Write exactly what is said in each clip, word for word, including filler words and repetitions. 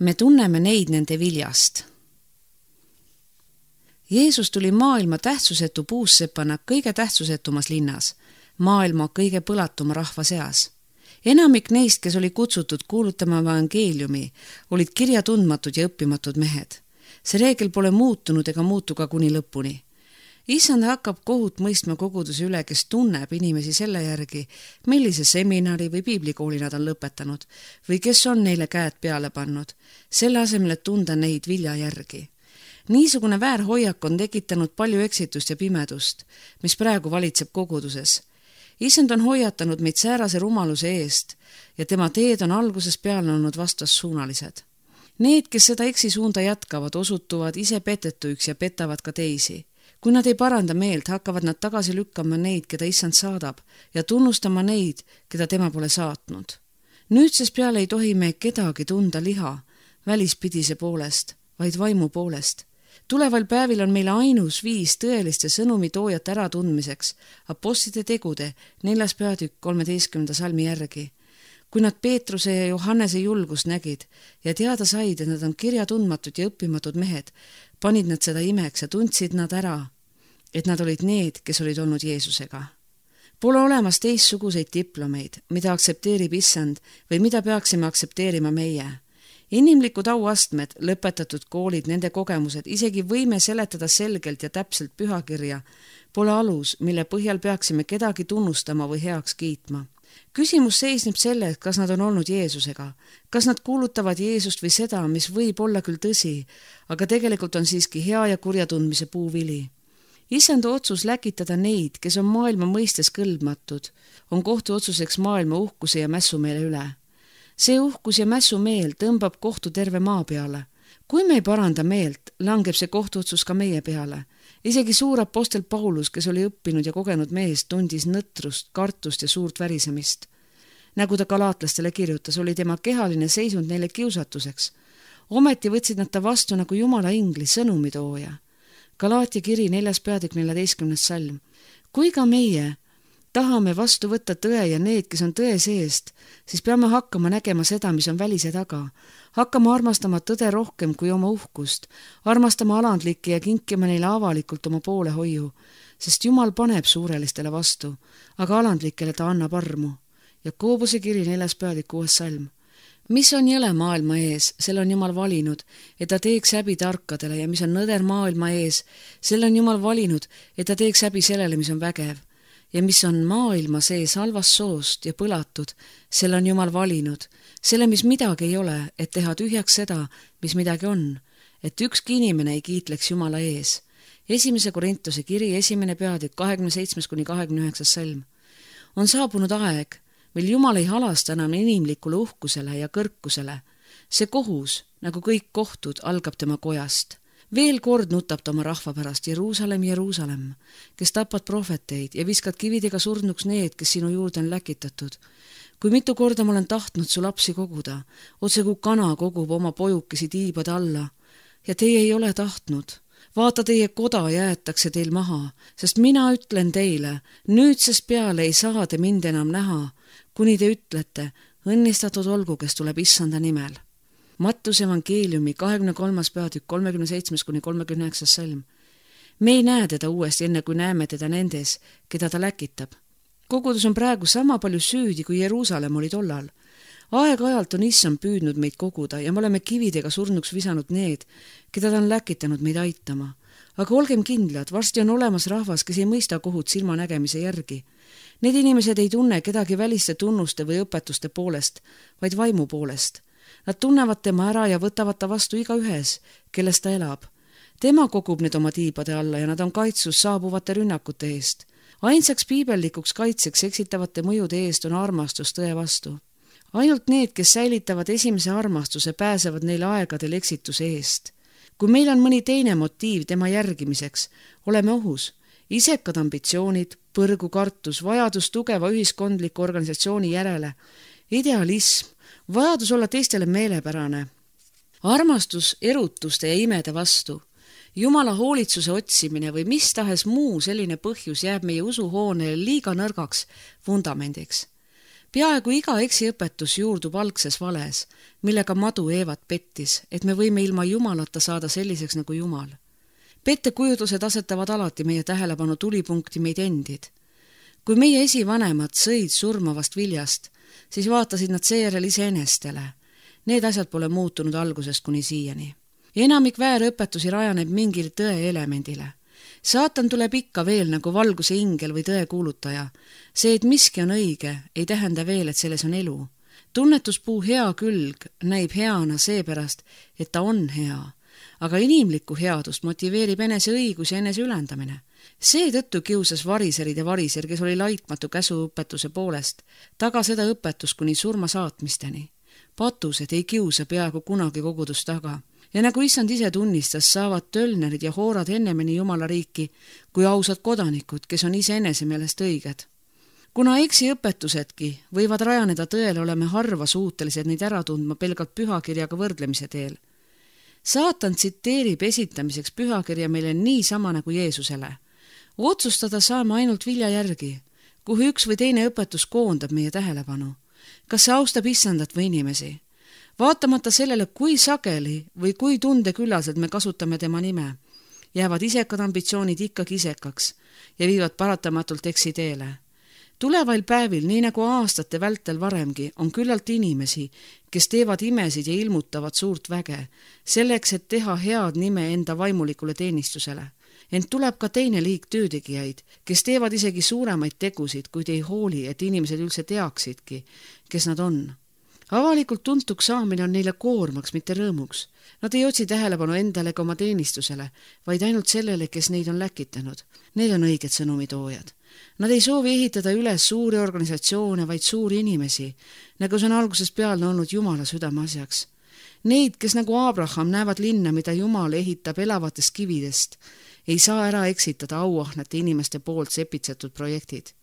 Me tunneme neid nende viljast. Jeesus tuli maailma tähtsusetu puussepana kõige tähtsusetumas linnas, maailma kõige põlatuma rahva seas. Enamik neist, kes oli kutsutud kuulutama evangeeliumi, olid kirjatundmatud ja õppimatud mehed. See reegel pole muutunud ega muutu ka kuni lõpuni. Issand hakkab kohut mõistma koguduse üle, kes tunneb inimesi selle järgi, millise seminari või piiblikooli nad on lõpetanud või kes on neile käed peale pannud, selle asemel, et tunda neid vilja järgi. Niisugune väärhoiak on tekitanud palju eksitust ja pimedust, mis praegu valitseb koguduses. Issand on hoiatanud meid säärase rumaluse eest ja tema teed on alguses peale olnud vastassuunalised. Need, kes seda eksisuunda jätkavad, osutuvad ise petetuiks ja petavad ka teisi. Kui nad ei paranda meelt, hakkavad nad tagasi lükkama neid, keda Issand saadab ja tunnustama neid, keda tema pole saatnud. Nüüdsest peale ei tohi me kedagi tunda liha, välispidise poolest, vaid vaimu poolest. Tuleval päevil on meile ainus viis tõeliste sõnumitoojat äratundmiseks apostlite tegude neljas peatükk kolmeteistkümnenda salmi järgi. Kui nad Peetruse ja Johannese julgust nägid ja teada said, et nad on kirjatundmatud ja õppimatud mehed, panid nad seda imeks ja tundsid nad ära, et nad olid need, kes olid olnud Jeesusega. Pole olemas teistsuguseid diplomeid, mida aktsepteerib Issand või mida peaksime aktsepteerima meie. Inimlikud auastmed, lõpetatud koolid, nende kogemused, isegi võime seletada selgelt ja täpselt pühakirja, pole alus, mille põhjal peaksime kedagi tunnustama või heaks kiitma. Küsimus seisneb selles, kas nad on olnud Jeesusega, kas nad kuulutavad Jeesust või seda, mis võib olla küll tõsi, aga tegelikult on siiski hea ja kurja tundmise puuvili. Issand otsus läkitada neid, kes on maailma mõistes kõlbmatud, on kohtuotsuseks maailma uhkuse ja mässumeele üle. See uhkus ja mässumeel tõmbab kohtu terve maa peale. Kui me ei paranda meelt, langeb see kohtuotsus ka meie peale. Isegi suur apostel Paulus, kes oli õppinud ja kogenud mees, tundis nõtrust, kartust ja suurt värisemist. Nagu ta galaatlastele kirjutas, oli tema kehaline seisund neile kiusatuseks. Ometi võtsid nad ta vastu nagu Jumala ingli sõnumitooja. Galaatia kiri neljas peatükk neljateistkümnes salm. Kui ka meie tahame vastu võtta tõe ja need, kes on tõe seest, siis peame hakkama nägema seda, mis on välise taga. Hakkama armastama tõde rohkem kui oma uhkust, armastama alandlikke ja kinkima neile avalikult oma poolehoiu, sest Jumal paneb suurelistele vastu, aga alandlikele ta annab armu. Jakobuse kiri neljas peatükk kuues salm. Mis on jõle maailma ees, selle on Jumal valinud, et ta teeks häbi tarkadele ja mis on nõder maailma ees, selle on Jumal valinud, et ta teeks häbi sellele, mis on vägev. Ja mis on maailma sees halvast soost ja põlatud, selle on Jumal valinud, selle, mis midagi ei ole, et teha tühjaks seda, mis midagi on, et ükski inimene ei kiitleks Jumala ees. Esimese Korintuse kiri, esimene peatükk, kahekümne seitsmes kuni kahekümne üheksas salm. On saabunud aeg, mil Jumal ei halasta enam inimlikule uhkusele ja kõrkusele. See kohus, nagu kõik kohtud, algab tema kojast. Veel kord nutab ta oma rahva pärast, Jeruusalemm, Jeruusalemm, kes tapad prohveteid ja viskad kividega surnuks need, kes sinu juurde on läkitatud. Kui mitu korda ma olen tahtnud su lapsi koguda, otse kui kana kogub oma pojukesi tiibade alla, ja teie ei ole tahtnud. Vaata, teie koda jäetakse teil maha, sest mina ütlen teile, nüüdsest peale ei saa te mind enam näha, kuni te ütlete, õnnistatud olgu, kes tuleb Issanda nimel. Mattuse evangeeliumi kahekümne kolmas peatükk kolmekümne seitsmes kuni kolmekümne üheksas salm. Me ei näe teda uuesti enne, kui näeme teda nendes, keda ta läkitab. Kogudus on praegu sama palju süüdi, kui Jeruusalemm oli tollal. Aeg-ajalt on Issand püüdnud meid koguda ja me oleme kividega surnuks visanud need, keda ta on läkitanud meid aitama. Aga olgem kindlad, varsti on olemas rahvas, kes ei mõista kohut silmanägemise järgi. Need inimesed ei tunne kedagi väliste tunnuste või õpetuste poolest, vaid vaimu poolest. Nad tunnevad tema ära ja võtavad ta vastu iga ühes, kelles ta elab. Tema kogub need oma tiibade alla ja nad on kaitsus saabuvate rünnakute eest. Ainsaks piibellikuks kaitseks eksitavate mõjude eest on armastus tõe vastu. Ainult need, kes säilitavad esimese armastuse, pääsevad neil aegadel eksituse eest. Kui meil on mõni teine motiiv tema järgimiseks, oleme ohus. Isekad ambitsioonid, põrgu kartus, vajadus tugeva ühiskondliku organisatsiooni järele, idealism, vajadus olla teistele meelepärane, armastus erutuste ja imede vastu, Jumala hoolitsuse otsimine või mis tahes muu selline põhjus jääb meie usuhoonele liiga nõrgaks vundamendiks. peaaegu iga eksiõpetus juurdub algses vales, millega madu Eevat pettis, et me võime ilma Jumalata saada selliseks nagu Jumal. Pettekujutlused asetavad alati meie tähelepanu tulipunkti meid endid. Kui meie esivanemad sõid surmavast viljast, siis vaatasid nad seejärel iseenestele. Need asjad pole muutunud algusest kuni siiani. Enamik väärõpetusi rajaneb mingil tõe elemendile. Saatan tuleb ikka veel nagu valguse ingel või tõe kuulutaja. See, et miski on õige, ei tähenda veel, et selles on elu. Tunnetuspuu hea külg näib heana seepärast, et ta on hea, aga inimlikku headust motiveerib enese õigus ja enese ülendamine. Seetõttu kiusas variserid ja variser, kes oli laitmatu käsuõpetuse poolest, taga seda õpetust kuni surma saatmisteni. Patused ei kiusa peaaegu kunagi kogudust taga. Ja nagu issand ise tunnistas, saavad tölnerid ja hoorad ennemeni Jumala riiki kui ausad kodanikud, kes on ise enese meelest õiged. Kuna eksiõpetusedki võivad rajaneda tõele, oleme harva suutelised neid ära tundma pelgalt pühakirjaga võrdlemise teel. Saatan tsiteerib esitamiseks pühakirja meile nii sama nagu Jeesusele. Otsustada saame ainult vilja järgi, kuhu üks või teine õpetus koondab meie tähelepanu. Kas see austab issandat või inimesi? Vaatamata sellele, kui sageli või kui tundeküllaselt me kasutame tema nime, jäävad isekad ambitsioonid ikkagi isekaks ja viivad paratamatult eksiteele. Tulevail päevil, nii nagu aastate vältel varemgi, on küllalt inimesi, kes teevad imesid ja ilmutavad suurt väge, selleks, et teha head nime enda vaimulikule teenistusele. Ent tuleb ka teine liik töötegijaid, kes teevad isegi suuremaid tegusid, kuid ei hooli, et inimesed üldse teaksidki, kes nad on. Avalikult tuntuks saamine on neile koormaks, mitte rõõmuks. Nad ei otsi tähelepanu endale ka oma teenistusele, vaid ainult sellele, kes neid on läkitanud. Need on õiged sõnumitoojad. Nad ei soovi ehitada üles suuri organisatsioone, vaid suuri inimesi, nagu see on algusest peale olnud Jumala südame asjaks. Neid, kes nagu Abraham näevad linna, mida Jumal ehitab elavatest kividest, ei saa ära eksitada auahnete inimeste poolt sepitsetud projektid.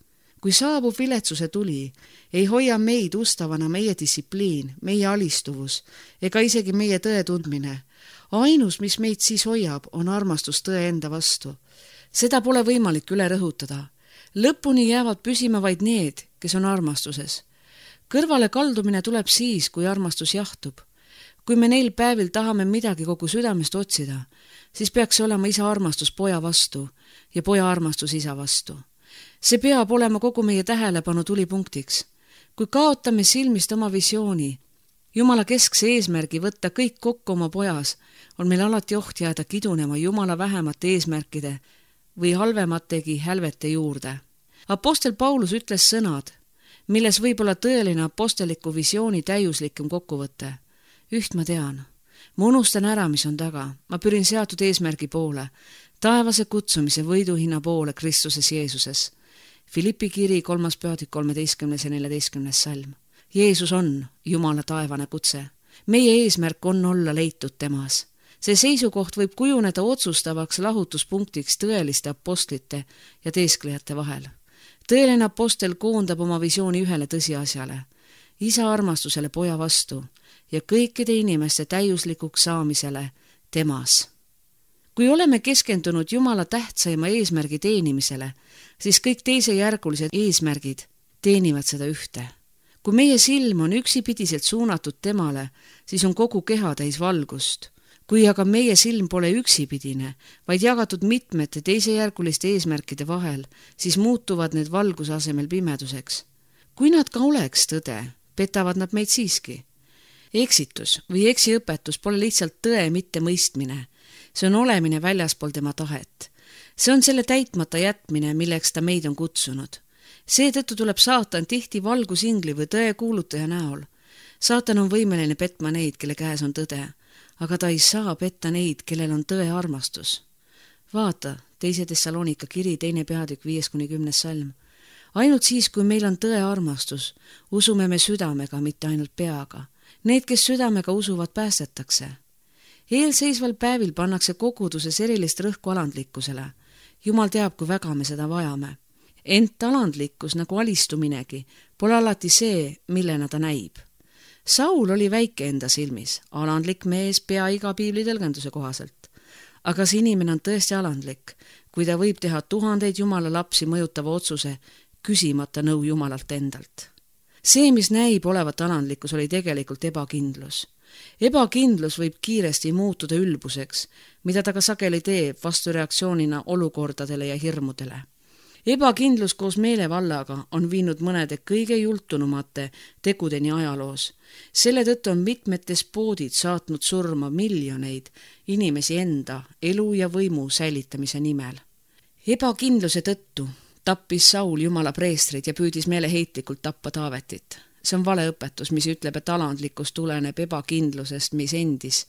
Kui saabub viletsuse tuli, ei hoia meid ustavana meie distsipliin, meie alistuvus ega isegi meie tõe tundmine. Ainus, mis meid siis hoiab, on armastus tõe enda vastu. Seda pole võimalik üle rõhutada. Lõpuni jäävad püsima vaid need, kes on armastuses. Kõrvale kaldumine tuleb siis, kui armastus jahtub. Kui me neil päevil tahame midagi kogu südamest otsida, siis peaks olema isa armastus poja vastu ja poja armastus isa vastu. See peab olema kogu meie tähelepanu tulipunktiks. Kui kaotame silmist oma visiooni, Jumala keskse eesmärgi võtta kõik kokku oma pojas, on meil alati oht jääda kidunema Jumala vähemate eesmärkide või halvemategi hälvete juurde. Apostel Paulus ütles sõnad, milles võib olla tõeline aposteliku visiooni täiuslikum kokkuvõte. Üht ma tean. Ma unustan ära, mis on taga. Ma pyrin seatud eesmärgi poole, taevase kutsumise võiduhinna poole Kristuses Jeesuses. Filippi kiri kolmas peatükk kolmeteistkümnes ja neljateistkümnes salm. Jeesus on Jumala taevane kutse. Meie eesmärk on olla leitud temas. See seisukoht võib kujuneda otsustavaks lahutuspunktiks tõeliste apostlite ja teesklejate vahel. Tõeline apostel koondab oma visiooni ühele tõsiasjale, isa armastusele poja vastu ja kõikide inimeste täiuslikuks saamisele temas. Kui oleme keskendunud Jumala tähtsaima eesmärgi teenimisele, siis kõik teisejärgulised eesmärgid teenivad seda ühte. Kui meie silm on üksipidiselt suunatud temale, siis on kogu keha täis valgust. Kui aga meie silm pole üksipidine, vaid jagatud mitmete teisejärguliste eesmärkide vahel, siis muutuvad need valguse asemel pimeduseks. Kui nad ka oleks tõde, petavad nad meid siiski. Eksitus või eksiõpetus pole lihtsalt tõe mitte mõistmine. See on olemine väljaspool tema tahet. See on selle täitmata jätmine, milleks ta meid on kutsunud. Seetõttu tuleb saatan tihti valgusingli või tõe kuulutaja näol. Saatan on võimeline petma neid, kelle käes on tõde, aga ta ei saa petta neid, kellel on tõe armastus. Vaata, teise Thessalonika kiri, teine peatükk, viies kuni kümnes salm. Ainult siis, kui meil on tõe armastus, usume me südamega, mitte ainult peaga. Need, kes südamega usuvad, päästetakse. Eelseisval päevil pannakse koguduses erilist rõhku alandlikkusele. Jumal teab, kui väga me seda vajame. Ent alandlikkus, nagu alistuminegi, pole alati see, millena ta näib. Saul oli väike enda silmis, alandlik mees pea iga piibli tõlgenduse kohaselt. Aga see inimene on tõesti alandlik, kui ta võib teha tuhandeid Jumala lapsi mõjutava otsuse, küsimata nõu Jumalalt endalt. see, mis näib olevat alandlikkus, oli tegelikult ebakindlus. Ebakindlus võib kiiresti muutuda ülbuseks, mida ta ka sageli teeb vastureaktsioonina olukordadele ja hirmudele. Ebakindlus koos meelevallaga on viinud mõnede kõige jultunumate tegudeni ajaloos. Selle tõttu on mitmed despoodid saatnud surma miljoneid inimesi enda elu ja võimu säilitamise nimel. Ebakindluse tõttu tappis Saul Jumala preestrid ja püüdis meeleheitlikult tappa Taavetit. See on valeõpetus, mis ütleb, et alandlikkus tuleneb ebakindlusest meis endis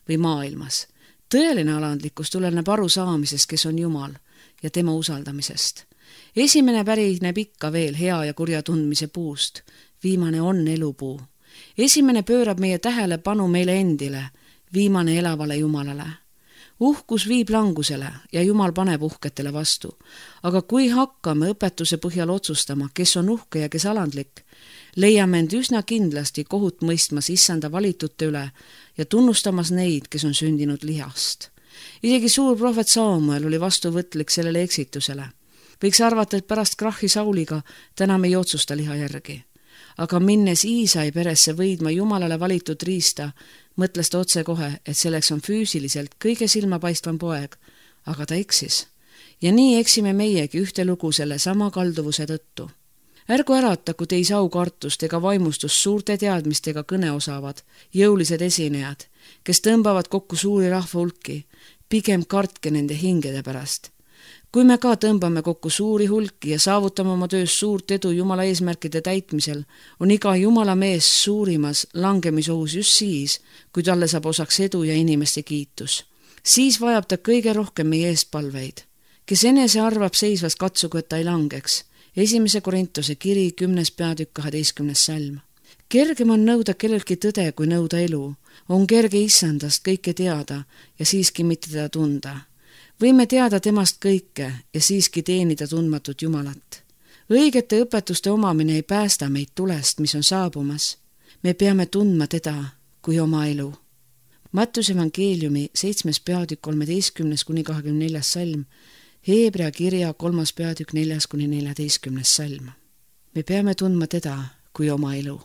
või maailmas. Tõeline alandlikkus tuleneb arusaamisest, kes on Jumal ja tema usaldamisest. Esimene pärineb ikka veel hea ja kurja tundmise puust. Viimane on elupuu. Esimene pöörab meie tähelepanu meile endile, viimane elavale Jumalale. Uhkus viib langusele ja Jumal paneb uhketele vastu. Aga kui hakkame õpetuse põhjal otsustama, kes on uhke ja kes alandlik, leiame end üsna kindlasti kohut mõistmas issanda valitute üle ja tunnustamas neid, kes on sündinud lihast. Isegi suur prohvet Samuel oli vastuvõtlik sellele eksitusele. Võiks arvata, et pärast krahhi Sauliga täna me ei otsusta liha järgi. Aga minnes Iisai peresse võidma Jumalale valitud riista, mõtles ta otse kohe, et selleks on füüsiliselt kõige silmapaistvam poeg, aga ta eksis. Ja nii eksime meiegi ühte lugu selle sama kalduvuse tõttu. Ärgu ärataku teis aukartust ega vaimustust suurte teadmistega kõne osavad, jõulised esinejad, kes tõmbavad kokku suuri rahva hulki, pigem kartke nende hingede pärast. Kui me ka tõmbame kokku suuri hulki ja saavutame oma töös suurt edu Jumala eesmärkide täitmisel, on iga Jumala mees suurimas langemisohus just siis, kui talle saab osaks edu ja inimeste kiitus. Siis vajab ta kõige rohkem meie eestpalveid. Kes enese arvab seisvas, katsugu, et ta ei langeks. Esimese Korintuse kiri kümnes peatükk kaheteistkümnes salm. Kergem on nõuda kellelgi tõde, kui nõuda elu. On kerge issandast kõike teada ja siiski mitte teda tunda. Võime teada temast kõike ja siiski teenida tundmatut Jumalat. Õigete õpetuste omamine ei päästa meid tulest, mis on saabumas. Me peame tundma teda kui oma elu. Mattuse evangeeliumi seitsmes peatükk kolmeteistkümnes kuni kahekümne neljas salm, Heebrea kirja kolmas peatükk neljas kuni neljateistkümnes salm. Me peame tundma teda kui oma elu.